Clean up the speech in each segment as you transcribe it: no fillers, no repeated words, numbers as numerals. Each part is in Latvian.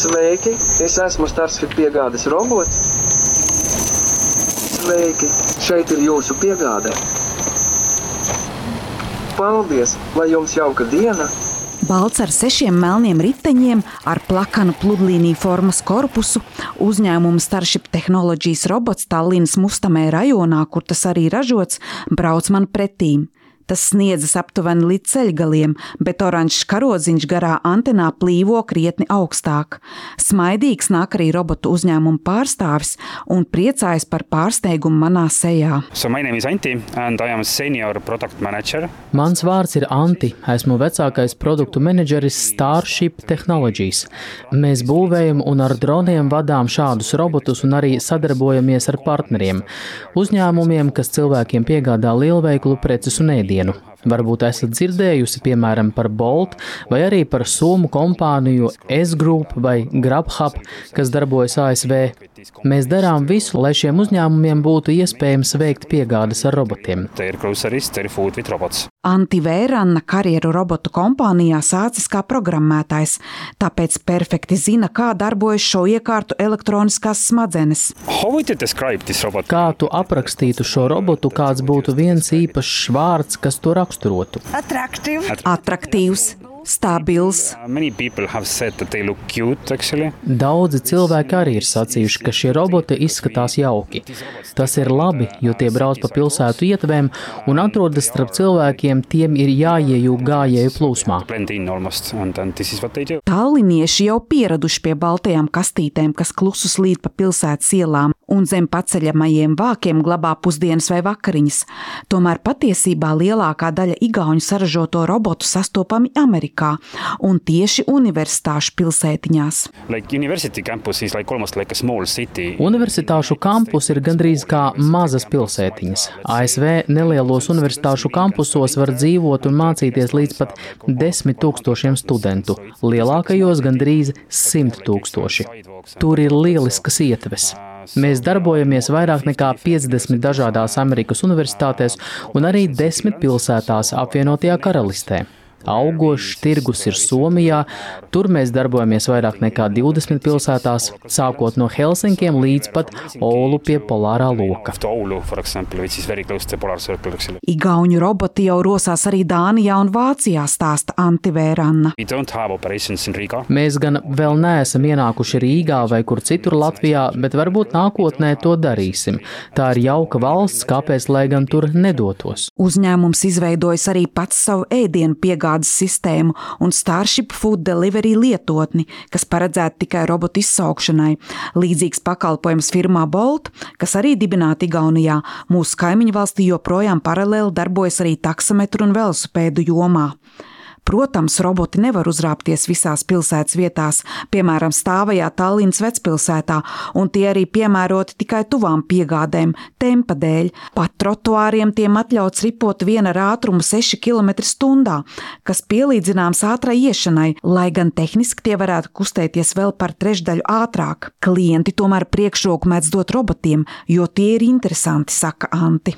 Sveiki, es esmu Starsfit piegādes robots. Sveiki, šeit ir jūsu piegāde. Paldies, lai jums jauka diena! Balts ar 6 melniem riteņiem, ar plakanu pludlīniju formas korpusu, uzņēmuma Starship Technologies robots Tallinas Mustamē rajonā, kur tas arī ražots, brauc man pretīm. Tas sniedzas aptuveni līdz ceļgaliem, bet oranžs karodziņš garā antenā plīvo krietni augstāk. Smaidīgs nāk arī robotu uzņēmuma pārstāvis un priecājas par pārsteigumu manā sejā. So my name is Anti and I am senior product manager. Mans vārds ir Anti, esmu vecākais produktu menedžeris Starship Technologies. Mēs būvējam un ar droniem vadām šādus robotus un arī sadarbojamies ar partneriem, uzņēmumiem, kas cilvēkiem piegādā lielveikalu preces un ēdienu. Varbūt esat dzirdējusi, piemēram, par Bolt vai arī par somu kompāniju S-Group vai Grubhub, kas darbojas ASV. Mēs darām visu, lai šiem uzņēmumiem būtu iespējams veikt piegādes ar robotiem. Anti Vēranna karjeru robotu kompānijā sācis kā programmētājs, tāpēc perfekti zina, kā darbojas šo iekārtu elektroniskās smadzenes. Kā tu aprakstītu šo robotu, kāds būtu viens īpašs vārds, kas to raksturotu? Atraktīvs. Stabils. Daudzi cilvēki arī ir sacījuši, ka šie roboti izskatās jauki. Tas ir labi, jo tie brauc pa pilsētu ietvēm un atrodas starp cilvēkiem, tiem ir jāiejūg gājēju plūsmā. Tallinieši jau pieraduši pie baltajām kastītēm, kas klusu slīd pa pilsētas ielām un zem paceļamajiem vākiem glabā pusdienas vai vakariņas. Tomēr patiesībā lielākā daļa igauņu saražoto robotu sastopami Amerikā un tieši universitāšu pilsētiņās. Universitāšu kampus ir gandrīz kā mazas pilsētiņas. ASV nelielos universitāšu kampusos var dzīvot un mācīties līdz pat 10 000 studentu, lielākajos gandrīz 100 000. Tur ir lieliskas ietves. Mēs darbojamies vairāk nekā 50 dažādās Amerikas universitātēs un arī 10 pilsētās apvienotajā Karalistē. Augošs tirgus ir Somijā, tur mēs darbojamies vairāk nekā 20 pilsētās, sākot no Helsinkiem līdz pat Oulu pie polārā loka. Igauņu roboti jau rosās arī Dānijā un Vācijā, stāsta Anti Vēranna. Mēs gan vēl neesam ienākuši Rīgā vai kur citur Latvijā, bet varbūt nākotnē to darīsim. Tā ir jauka valsts, kāpēc lai gan tur nedotos. Uzņēmums izveidojas arī pats savu ēdienu piegādes sistēmu un Starship Food Delivery lietotni, kas paredzēta tikai robotu izsaukšanai. Līdzīgs pakalpojums firmā Bolt, kas arī dibināta Igaunijā, mūsu kaimiņu valstī joprojām paralēli darbojas arī taksometru un velosipēdu jomā. Protams, roboti nevar uzrāpties visās pilsētas vietās, piemēram, stāvajā Tallinas vecpilsētā, un tie arī piemēroti tikai tuvām piegādēm, tempa dēļ. Pat trotuāriem tiem atļauts ripot viena ar ātrumu 6 km/h, kas pielīdzināms ātrai iešanai, lai gan tehniski tie varētu kustēties vēl par trešdaļu ātrāk. Klienti tomēr priekšroku mēdz dot robotiem, jo tie ir interesanti, saka Anti.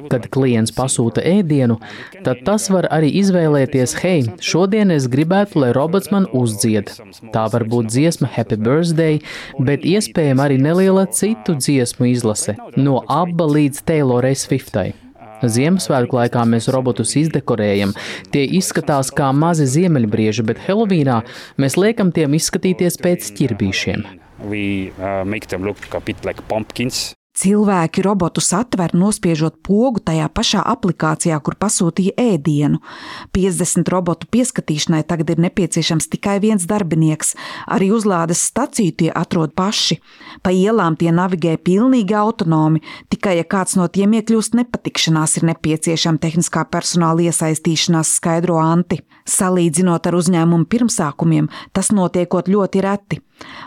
Kad klients pasūta ēdienu, tad tas var arī izvēlēties, hei, šodien es gribētu, lai robots man uzdzied. Tā var būt dziesma Happy Birthday, bet iespējama arī neliela citu dziesmu izlase, no ABBA līdz Taylorai Swiftai. Ziemassvētku laikā mēs robotus izdekorējam. Tie izskatās kā mazi ziemeļbrieži, bet Helovīnā mēs liekam tiem izskatīties pēc ķirbīšiem. Cilvēki robotus atver, nospiežot pogu tajā pašā aplikācijā, kur pasūtīja ēdienu. 50 robotu pieskatīšanai tagad ir nepieciešams tikai viens darbinieks. Arī uzlādes staciju tie atrod paši. Pa ielām tie navigē pilnīgi autonomi, tikai ja kāds no tiem iekļūst nepatikšanās, ir nepieciešama tehniskā personāla iesaistīšanās, skaidro Anti. Salīdzinot ar uzņēmumu pirmsākumiem, tas notiekot ļoti reti.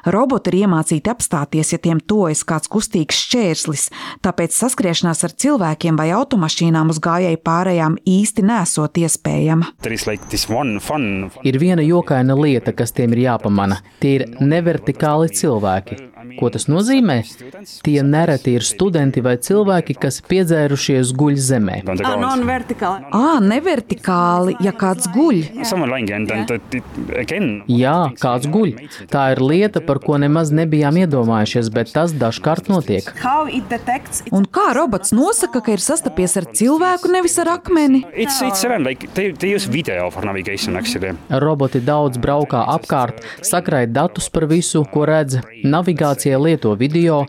Roboti ir iemācīti apstāties, ja tiem tuvojas kāds kustīgs šķērslis, tāpēc saskriešanās ar cilvēkiem vai automašīnām uz gājēju pārējām īsti nesot iespējama. Ir viena jokaina lieta, kas tiem ir jāpamana. Tie ir nevertikāli cilvēki. Ko tas nozīmē? Tie nereti ir studenti vai cilvēki, kas piedzērušies guļ zemē. Nevertikāli, ja kāds guļ. Jā, kāds guļ. Tā ir lieta, par ko nemaz nebijām iedomājušies, bet tas dažkārt notiek. Un kā robots nosaka, ka ir sastapies ar cilvēku, nevis ar akmeni? Roboti daudz braukā apkārt, sakraid datus par visu, ko redz, navigācijai lieto video,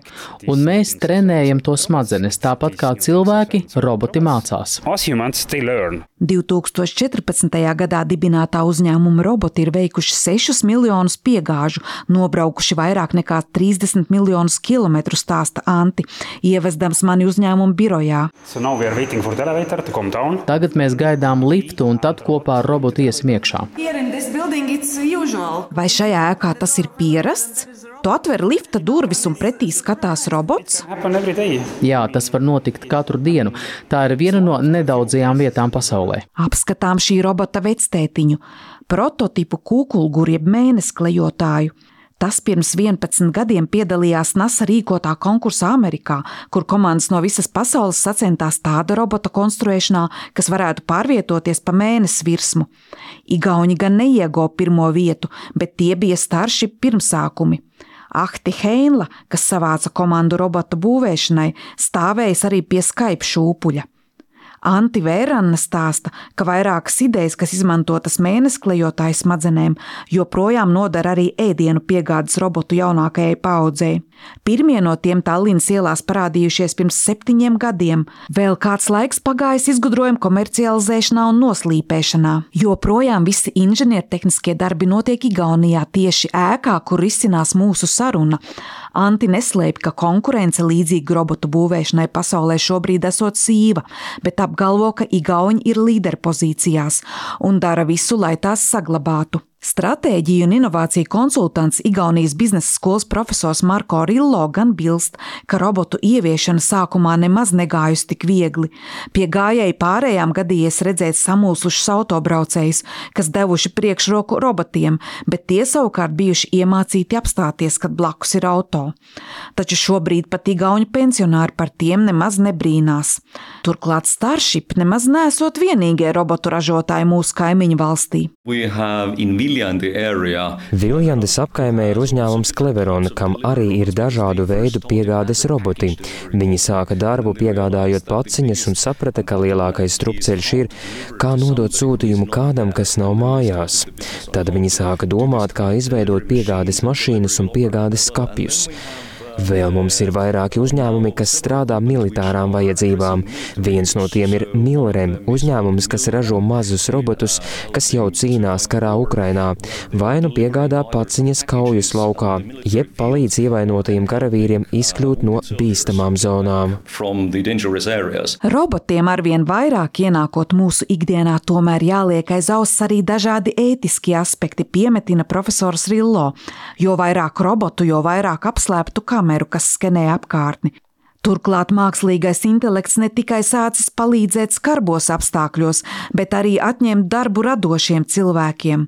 un mēs trenējam to smadzenes, tāpat kā cilvēki, roboti mācās. 2014. gadā dibinātā uzņēmuma roboti ir veikuši 6 miljonus piegāžu, nobraukuši vairāk nekā 30 miljonus kilometru, stāsta Anti, ievezdams mani uzņēmuma birojā. Tagad mēs gaidām liftu un tad kopā ar robotu iesim iekšā. Vai šajā ēkā tas ir pierasts? Tu atver lifta durvis un pretī skatās robots? Jā, tas var notikt katru dienu. Tā ir viena no nedaudzajām vietām pasaulē. Apskatām šī robota vectētiņu, prototipu kūkulguru jeb mēnesklejotāju. Tas pirms 11 gadiem piedalījās NASA rīkotā konkursā Amerikā, kur komandas no visas pasaules sacentās tāda robota konstruēšanā, kas varētu pārvietoties pa mēnesi virsmu. Igauņi gan neieguva pirmo vietu, bet tie bija Starship pirmsākumi. Ahti Heinla, kas savāca komandu robota būvēšanai, stāvējis arī pie Skype šūpuļa. Anti Vēranna stāsta, ka vairākas idejas, kas izmantotas mēnesklejotāju smadzenēm, joprojām nodara arī ēdienu piegādes robotu jaunākajai paaudzei. Pirmie no tiem Tallinas ielās parādījušies pirms 7 gadiem. Vēl kāds laiks pagājis izgudrojumu komercializēšanā un noslīpēšanā. Joprojām visi inženiertehniskie darbi notiek Igaunijā, tieši ēkā, kur risinās mūsu saruna. Anti neslēpj, ka konkurence līdzīgu robotu būvēšanai pasaulē šobrīd esot sīva, bet apgalvo, ka igauņi ir līderpozīcijās un dara visu, lai tās saglabātu. Stratēģiju un inovāciju konsultants Igaunijas biznesa skolas profesors Marko Rillo gan bilst, ka robotu ieviešana sākumā nemaz negājusi tik viegli. Pie gājēji pārējām gadījies redzēt samulsušus autobraucējus, kas devuši priekšroku robotiem, bet tie savukārt bijuši iemācīti apstāties, kad blakus ir auto. Taču šobrīd pat igauņu pensionāri par tiem nemaz nebrīnās. Turklāt Starship nemaz neesot vienīgie robotu ražotāji mūsu kaimiņu valstī. Viljandes apkaimē ir uzņēmums Cleveron, kam arī ir dažādu veidu piegādes roboti. Viņi sāka darbu piegādājot paciņas un saprata, ka lielākais strupceļš ir, kā nodot sūtījumu kādam, kas nav mājās. Tad viņi sāka domāt, kā izveidot piegādes mašīnas un piegādes skapjus. Vēl mums ir vairāki uzņēmumi, kas strādā militārām vajadzībām. Viens no tiem ir Milrem, uzņēmums, kas ražo mazus robotus, kas jau cīnās karā Ukrainā, vai nu piegādā paciņas kaujas laukā, jeb palīdz ievainotajiem karavīriem izkļūt no bīstamām zonām. Robotiem arvien vairāk ienākot mūsu ikdienā, tomēr jāliek aiz auss arī dažādi ētiskie aspekti, piemetina profesors Rillo. Jo vairāk robotu, jo vairāk apslēptu kameru, kas skenē apkārtni. Turklāt mākslīgais intelekts ne tikai sācis palīdzēt skarbos apstākļos, bet arī atņemt darbu radošiem cilvēkiem.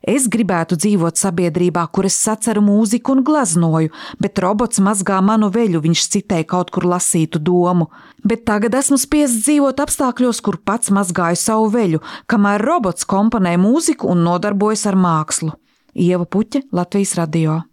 Es gribētu dzīvot sabiedrībā, kur es saceru mūziku un gleznoju, bet robots mazgā manu veļu, viņš citēja kaut kur lasītu domu. Bet tagad esmu spiests dzīvot apstākļos, kur pats mazgāju savu veļu, kamēr robots komponē mūziku un nodarbojas ar mākslu. Ieva Puķe, Latvijas radio.